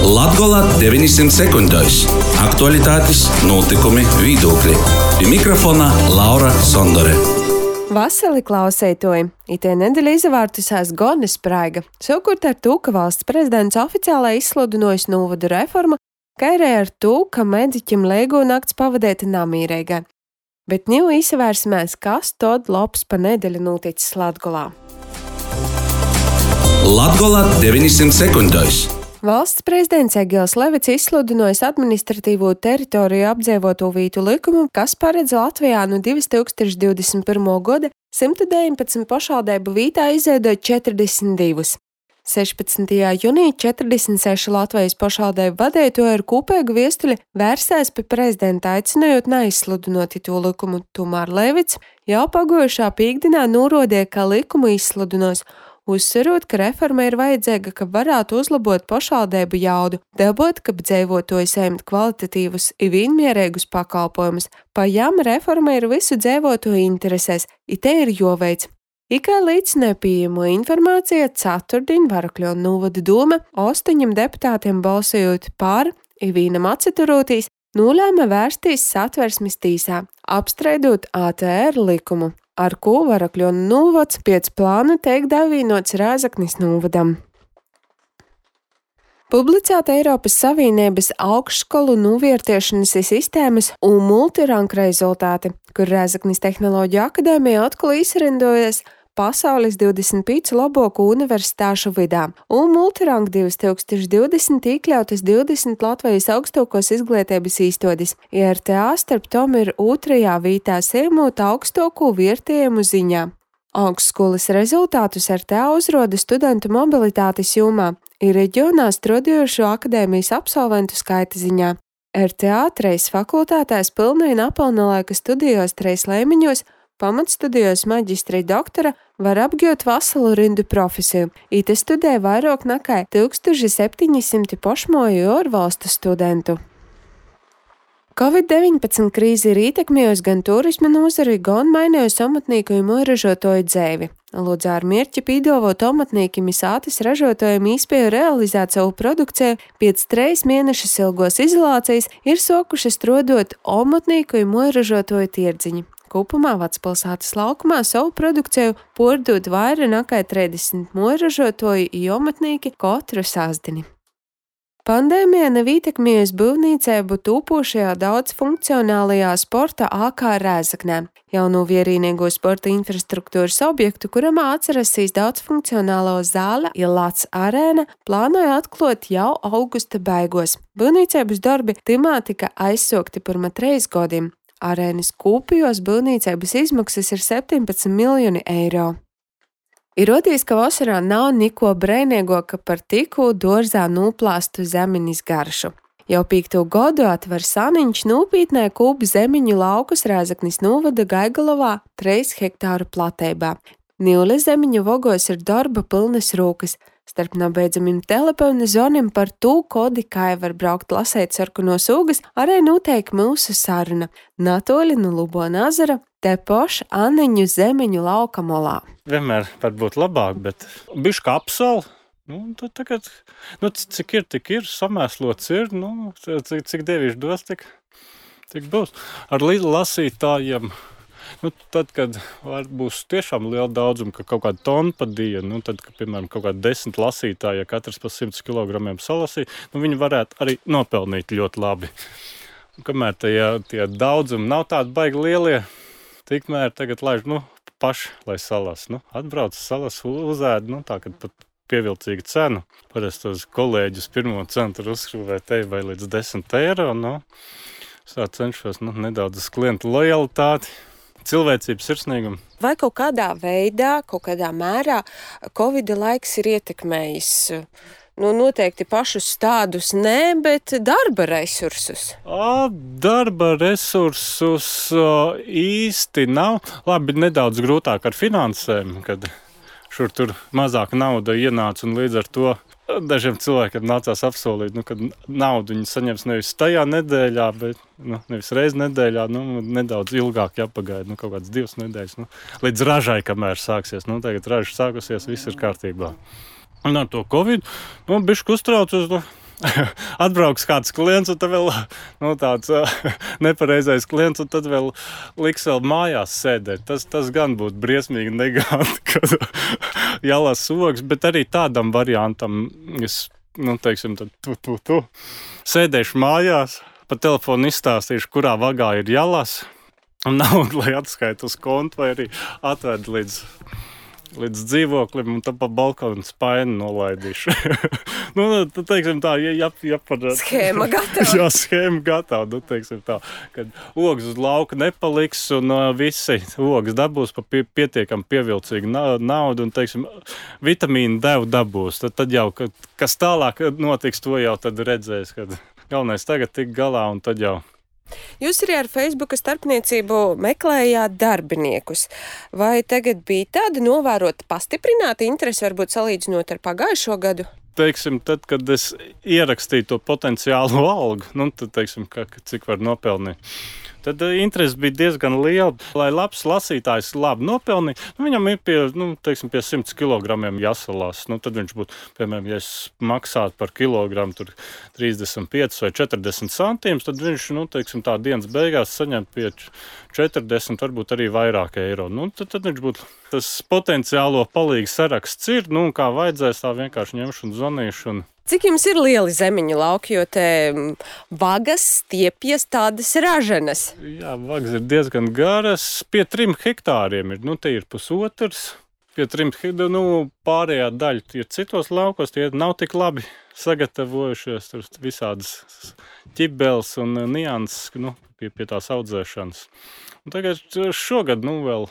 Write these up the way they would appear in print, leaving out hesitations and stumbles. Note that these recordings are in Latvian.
Latgola 900 sekundēs. Aktualitātes, notikumi, viedokļi. Pie mikrofona Laura Sondore. Vasarī klausētoji, itē nedēļa izvārtusās gona spraiga, savukārt ar to, ka valsts prezidents oficiāli izsludinojis novadu reformu, kā arī ar to, ka mediķim leigo nakts pavadēta namīreigai. Bet nu izvērsimies, kas tad labs pa nedēļu noticis Latgolā. Latgola 900 sekundēs. Valsts prezidents Egils Levits izsludinojis administratīvo teritoriju apdzīvoto vietu likumu, kas paredz Latvijā no 2021. gada 119 pašvaldību vietā izveidot 42. 16. jūnijā 46 Latvijas pašvaldību vadītāji ar kopīgu vēstuli vērsās pie prezidenta, aicinājot neizsludinot to likumu. Tomēr Levits jau pagājušā piektdienā norādīja, ka likumu izsludinās, uzsverot, ka reforma ir vajadzīga, ka varētu uzlabot pašvaldību jaudu, dabūt, ka dzīvotāji saņemt kvalitatīvus un vienmērīgus pakalpojumus. Pajām reforma ir visu dzīvotāju interesēs, un te ir jāveic. Kā līdzināja pieejamo informāciju, ceturtdien Varakļonu novada doma 8 deputātiem balsojot par un vienam atturoties, nolēma vērsties Satversmes tiesā, apstrīdot ATR likumu, ar ko Varakļonu novads pēc plāna tiek davienots Rēzeknes novadam. Publicēta Eiropas Savienības augšskolu novērtēšanas sistēmas un multiranku rezultāti, kur Rēzeknes Tehnoloģiju akadēmija atkal izrindojas pasaules 25 labāko universitāšu vidā, un multirank 2020 iekļautas 20 Latvijas augstākos izglītības īstotis. IRTA starp tom ir otrajā vietā saņemot augstāko vērtējumu ziņā. Augstskolas rezultātus RTA uzroda studentu mobilitātes jomā ir reģionā strādājošo akadēmijas absolventu skaita ziņā. RTA 3 fakultātēs pilnīgi nepilnlaika studijos 3 līmeņos, pamatstudijos maģistra doktora var apgūt veselu rindu profesiju. Ite studē vairāk nekā 1700 pašmāju ārvalstu studentu. Covid-19 krīze ir ietekmējusi gan turisma nozari, gan mainījusi amatnieku un ražotāju dzīvi. Lūdzu ar mērķi piedāvāt amatniekiem un sātas ražotājiem iespēju realizēt savu produkciju pēc 3 mēnešus ilgos izolācijas ir sākuši strādāt amatnieku un ražotāju tirdziņi. Kopumā Vecpilsētas laukumā savu produkciju pārdod vairāk nekā 30 ražotāju un amatnieki katru sastdieni. Pandēmija nav ietekmējusi būvniecību tūpošajā daudzfunkcionālajā sporta AK Rēzeknē, jauno vienīgo sporta infrastruktūras objektu, kuram atsarasīs daudzfunkcionālo zāle Ilāts arēna, plānoja atklāt jau augusta beigos. Būvniecības darbi timā tika aizsākti pirms 3 gadiem. Arēnas kopijos būvniecības izmaksas ir 17 miljoni eiro. Ir rodījis, ka vasarā nav neko brēnīgāka par tikko dārzā noplāstu zemeņu garšu. Jau 5. gadu atver Saniņš nopietnē kūpu zemeņu laukus Rēzeknes novada Gaigalovā 3 hektāru platībā. Nīle zemeņu vogos ir darba pilnas rokas. Starp nabeidzamiem telefona zvaniem par to, kodi kā var braukt lasēt sarkanos ūgas, arī notiek mūsu saruna. Natoļi no Lubona ezera, te paša Aniņu zemeņu lauka molā. Vienmēr var būt labāk, bet bišķi kā apsala. Tad tagad, cik ir, tik ir, samēslots ir, cik devīši dos, tik būs. Ar lasītājiem. Tad, kad būs tiešām liela daudzuma, ka kaut kāda tona pa dienu, tad, kad, piemēram, kaut kāda 10 lasītāji, ja katrs pa 100 kilogramiem salasīja, viņi varētu arī nopelnīt ļoti labi. Kamēr tie daudzumi nav tādi baigi lielie, tikmēr tagad laiž, paši, lai salas. Atbrauc salas, uzēd, tā, kad pat pievilcīga cena. Parasti tos kolēģus pirmo cenu tur uzskrūvē tevi vai līdz 10 eiro, es cenšos, nedaudz uz klientu lojalitāti. Cilvēcību, sirsnīgumu. Vai kaut kādā veidā, kaut kādā mērā Covid laiks ir ietekmējis, noteikti pašus tādus nē, bet darba resursus? Darba resursus īsti nav. Labi, nedaudz grūtāk ar finansēm, kad šur tur mazāk nauda ienāca un līdz ar to dažiem cilvēkiem nācās apsolīt, ka naudu viņi saņems nevis tajā nedēļā, bet nevis reizi nedēļā, nedaudz ilgāk jāpagaida, kaut kāds 2 nedēļas, līdz ražai, kamēr sāksies. Tagad raža sākusies, viss ir kārtībā. Un ar to Covid, bišķi uztraucos, atbrauks kāds klients, un tad vēl tāds nepareizais klients, un tad vēl liks vēl mājās sēdēt. Tas gan būtu briesmīgi neganti, kad jālās ogas, bet arī tādam variantam es, teiksim, tad tu. Sēdēšu mājās, pa telefonu izstāstīšu, kurā vagā ir jālās, un naudu, lai atskaita uz kontu, vai arī atved līdz dzīvoklim, un tad pa balkonu spaini nolaidīšu. Tad, teiksim tā, Schēma gatava. Jā, schēma gatava, teiksim tā, kad ogas uz lauka nepaliks, un visi ogas dabūs pa pietiekam pievilcīgu naudu, un, teiksim, vitamīnu devu dabūs. Tad jau, kas tālāk notiks, to jau tad redzēs, kad galvenais tagad tik galā, un tad jau. Jūs arī ar Facebooka starpniecību meklējāt darbiniekus. Vai tagad bija tāda novērota pastiprināta interese, varbūt salīdzinot ar pagājušo gadu? Teiksim, tad, kad es ierakstīju to potenciālo algu, tad, teiksim, cik var nopelnīt. Tad interese bija diezgan liela, lai labs lasītājs labi nopelnīja. Viņam ir pie 100 kilogramiem jāsalās. Tad viņš būtu, piemēram, ja es maksātu par kilogramu tur 35 vai 40 centīmus, tad viņš, teiksim, tā dienas beigās saņem pie 40, varbūt arī vairāk eiro. Tad viņš būtu, tas potenciālo palīgu saraksts ir, kā vajadzēs, tā vienkārši ņemšu un zvanīšu. Cik jums ir lieli zemiņu lauki, jo te vagas stiepjas tādas raženas? Jā, vagas ir diezgan garas, pie 3 hektāriem ir, te ir pusotrs, pie 3 hektāriem, pārējā daļa ir citos laukos, tie nav tik labi sagatavojušies, tur visādas ķibeles un nianses, pie tās audzēšanas. Un tagad šogad, vēl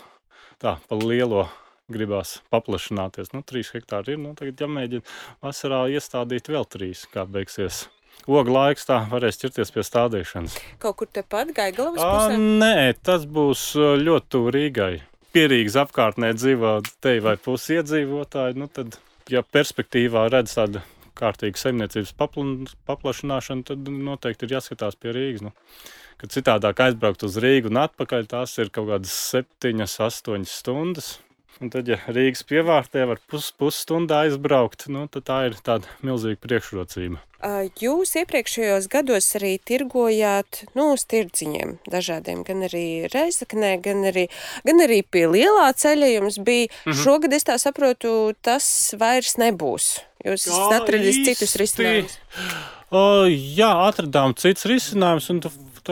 tā, pa lielo gribās paplašināties. 3 hektāri ir, tagad jāmēģina vasarā iestādīt vēl 3, kā beigsies. Ogu laiks tā varēs ķerties pie stādīšanas. Kaut kur tepat Gaigalavas pusē? Nē, tas būs ļoti tuvu Rīgai. Pie Rīgas apkārtnē dzīvo te vai pusi iedzīvotāji, tad, ja perspektīvā redz tādu kārtīgu saimniecības paplašināšanu, tad noteikti ir jāskatās pie Rīgas. Kad citādāk aizbraukt uz Rīgu un atpakaļ, tās ir kaut kādas 7-8 stundas. Un tad, ja Rīgas pievārtē var pusstundā aizbraukt, tad tā ir tāda milzīga priekšrocība. Jūs iepriekšējos gados arī tirgojāt uz tirdziņiem dažādiem, gan arī Reizeknē, gan arī pie lielā ceļa jums bija. Šogad, es tā saprotu, tas vairs nebūs. Jūs esat atradis citus risinājumus. Jā, atradām citus risinājumus, un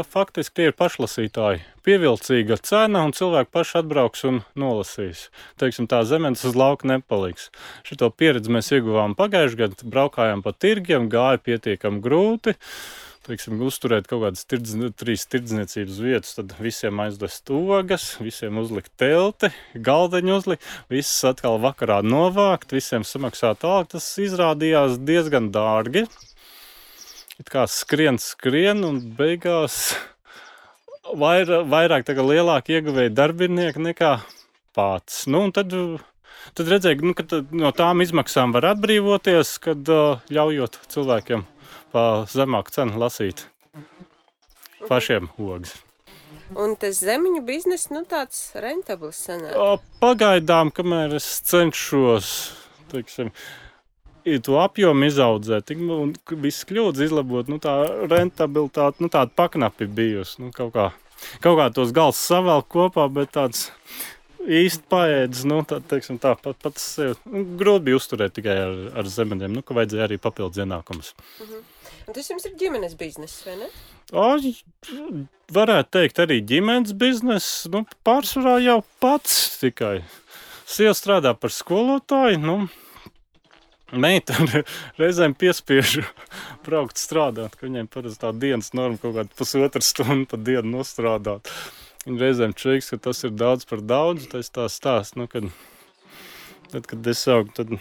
faktiski tie ir pašlasītāji. Pievilcīga cena, un cilvēki paši atbrauks un nolasīs. Teiksim, tā zemenes uz lauka nepaliks. Šito pieredzi mēs ieguvām pagājušajā gadā, braukājām pa tirgiem, gāja pietiekami grūti. Teiksim, uzturēt kaut kādas 3 tirdzniecības vietas, tad visiem aizdvest ogas, visiem uzlikt telti, galdeņu uzlikt, visus atkal vakarā novākt, visiem samaksāt algu. Tas izrādījās diezgan dārgi. It kā skrien, un beigās vairāk lielāki ieguvēji darbinieki nekā pats. Un tad redzēju, ka no tām izmaksām var atbrīvoties, kad ļaujot cilvēkiem pa zemāku cenu lasīt pašiem ogas. Un tas zemiņu biznes, tāds rentabls sanāk? Pagaidām, kamēr es cenšos, teiksim, to apjomu izaudzēt, un viss kļūdas izlabot, tā rentabilitāte, tāda paknapi bijusi. Kaut kā tos gals savēl kopā, bet tāds īsti paēdis, teiksim tā, pats sev. Grūti bija uzturēt tikai ar zemeņiem, ka vajadzēja arī papildus ienākumus. Un tas jums ir ģimenes biznes, vai ne? Varētu teikt arī ģimenes biznes, pārsvarā jau pats tikai. Sieva strādā par skolotāju, meita reizēm piespiežu braukt strādāt, ka viņiem parasti tā dienas norma kaut kāda 1,5 stundu pa dienu nostrādāt. Viņa reizēm čeiks, ka tas ir daudz par daudz, tas tā stāst, kad es augu, tad,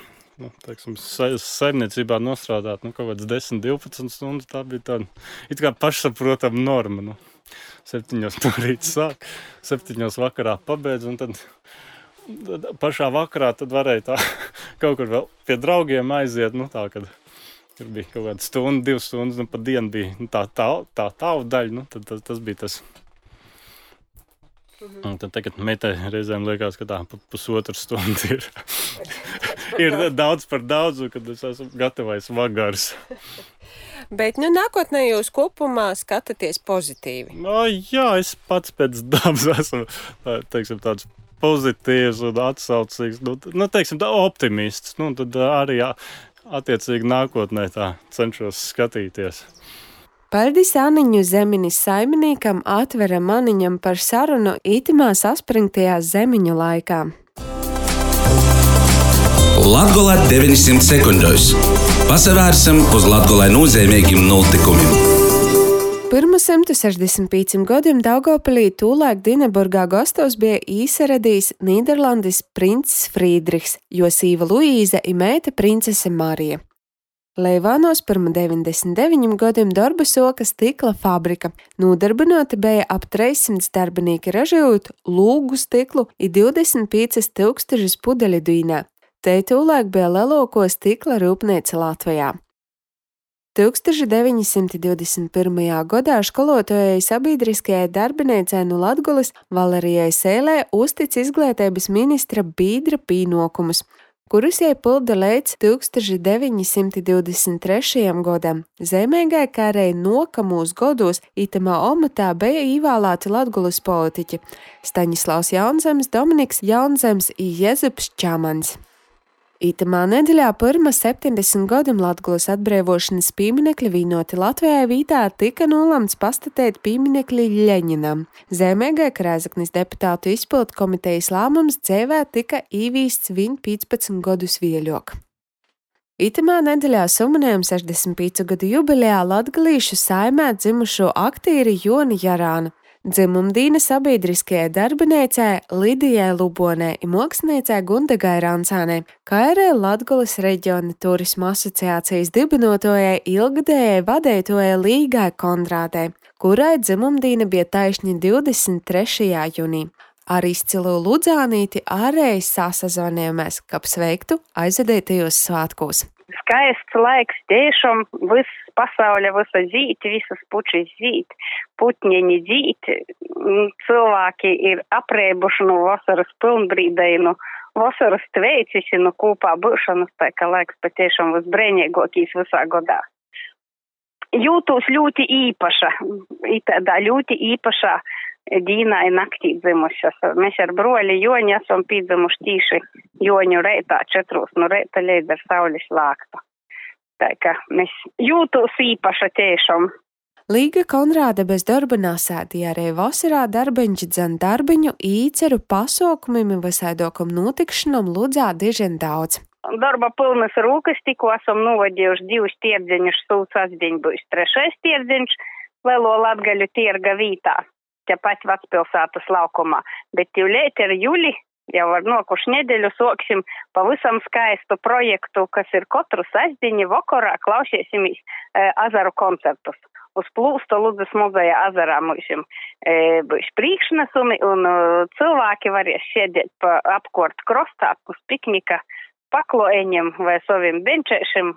teiksim, saimniecībā nostrādāt, kaut kāds 10-12 stundas, tā bija tāda, it kā pašsaprotama norma, 7 no rīta sāk, 7 vakarā pabeidz, un tad pašā vakarā tad varēja tā kaut kur vēl pie draugiem aiziet, kad tur bija kaut kāda stunda, 2 stundas, pa dienu bija tā daļa, tad tas bija tas. Un tad tagad meitai reizēm liekas, ka tā 1,5 stunda ir Ir daudz par daudz, kad es esmu gatavais vagars. Bet, nākotnē jūs kopumā skatāties pozitīvi. Jā, es pats pēc dabas esmu, teiksim, tāds pozitīvs un atsaucīgs, teiksim, optimists. Tad arī attiecīgi nākotnē tā cenšos skatīties. Paldies Aniņu Zeminis saimniekam Atveram Maniņam par sarunu itimā saspringtajā zemiņu laikā. Latgola 900 sekundēs. Pasavērsim uz Latgolai nozīmīgiem notikumiem. Pirms 165 gadiem Daugavpilī tūlaik Dineburgā gastos bija īsaradījis Nīderlandes princis Frīdrichs, jo sīva Luīza i meita princese Marija. Leivānos pirms 99 gadiem darba soka stikla fabrika. Nodarbināti bija ap 300 darbinieki ražojot lūgu stiklu i 25 000 pudeļu dīnā. Te tūlaik bija lielāko stikla rūpnīca Latvijā. 1921. gadā školotājai sabiedriskajai darbinīcei no Latgoles Valerijai Sēlē uztic izglītības ministra Bīdra pīnokumus, kurus jai pilda līdz 1923. gadam. Zemīgai kārēji nokamūs godos itamā omatā bija īvēlēti Latgoles politiķi Staņislavs Jaunzems, Dominiks Jaunzems i Jezups Čamans. Itamā nedēļā pirms 70 gadiem Latgoles atbrīvošanas pieminekļa vīnoti Latvijai vītā tika nolemts pastatēt pieminekļi Ļeņinam. Zemīgai Rēzeknes deputātu izpildu komitejas lēmums dzīvē tika īvīsts viņa 15 gadus vieļok. Itamā nedēļā suminējam 65 gadu jubilejā latgalīšu saimē dzimušo aktīri Joni Jarānu, dzimumdīna sabiedriskajai darbinīcei Lidijai Lubonei i māksliniecei Gundegai Rancānei, kā arī Latgoles reģiona turisma asociācijas dibinotojai ilgadējai vadītojai Līgai Konrādei, kurai dzimumdīna bija taišņi 23. jūnī. Ar izcilu Ludzānīti ārēji sasazvanījāmies, kap sveiktu aizvadītajos svētkos. Skaists laiks, tiešām viss pasauļa, visa zīt, visas pučis zīt, putņeņi zīt, cilvēki ir apreibuši no vasaras pilnbrīdainu, vasaras tveicisi, kūpā būšanas, tā ka laiks patiešām visbrēņīgākīs visā godā. Jūtos ļoti īpaša, tādā ļoti īpašā dīnā i naktī dzimušas. Mēs ar broli Joni esam pīdzimuši tīši Joņu reitā 4 no reita līdz ar saules lāktu. Tā kā mēs jūtos īpaša tiešām. Līga Konrāde bez darba nasēdīja arī vasarā darbiņš dzan darbiņu īceru pasaukumim visādokam notikšanam Ludzā dižen daudz. Darba pilnas rūkas, tikko esam novadījuši 2 tirdziņus, sūds asdiņ būs 3. tirdziņš, lielo Latgaļu tirga vītā. Tepat Vecpilsētas laukumā, bet jūlēt ir jūli, jau ar nokušu nedēļu soksim pavisam skaistu projektu, kas ir katru sestdiņu vakarā klausīsimies azaru koncertus. Uz plūsta Ludzas muzeja azarā mūsim būs priekšnesumi un cilvēki varēs sēdēt pa apkort krostā uz piknika pakloeņiem vai saviem benčēšiem.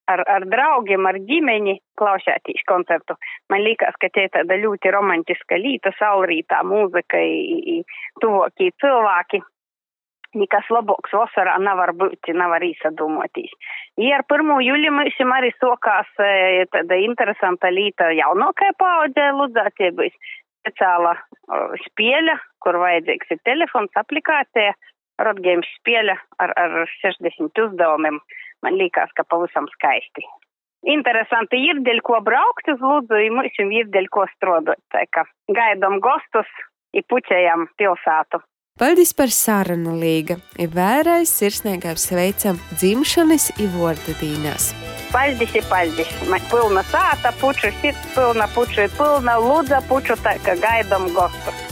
Ar draugiem, ar ģimeni klausētīs koncertu. Man liekas, ka te tāda ļoti romantiska līta, saulrītā mūzika i tuvokī cilvēki. Nekas labāks vasarā nevar būt, nevar īsadūmotīs. Ja ar 1. jūli mums arī sokās tāda interesanta līta jaunākai paaudzē Ludzā, tie būs speciāla spēļa, kur vajadzīgs ir telefons, aplikācija, Rodgeims spēļa ar 60 uzdevumiem. Man liekas, ka pavisam skaisti. Interesanti ir, dēļ ko braukt uz Ludzu, i mums ir dēļ ko strādāt. Tā kā gaidām gostus i puķējam pilsētu. Paldies par sarunu, Līga. I vēlreiz sirsnīgi sveicam dzimšanas i vārda dīnās. Paldies. Man pilna sāta, puču sirds pilna, puču pilna, Ludza puču, tā kā gaidām gostus.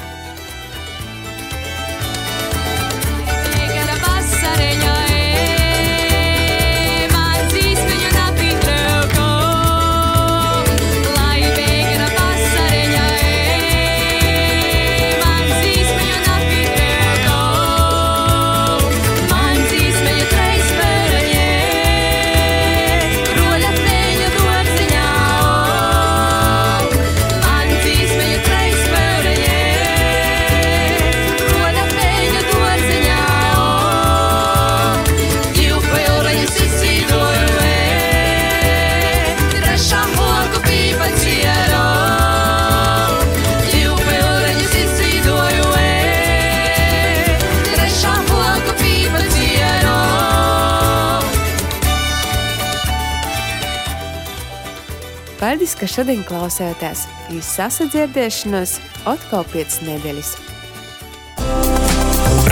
Paldies, ka šodien klausēties. Jūs sasadzirdēšanos atkal 5 nedēļas.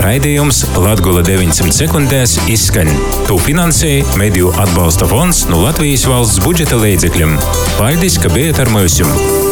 Raidījums Latgola 900 sekundēs izskan. To finansēja Mediju atbalsta fonds no Latvijas valsts budžeta līdzekļiem. Paldies, ka bijat ar mums!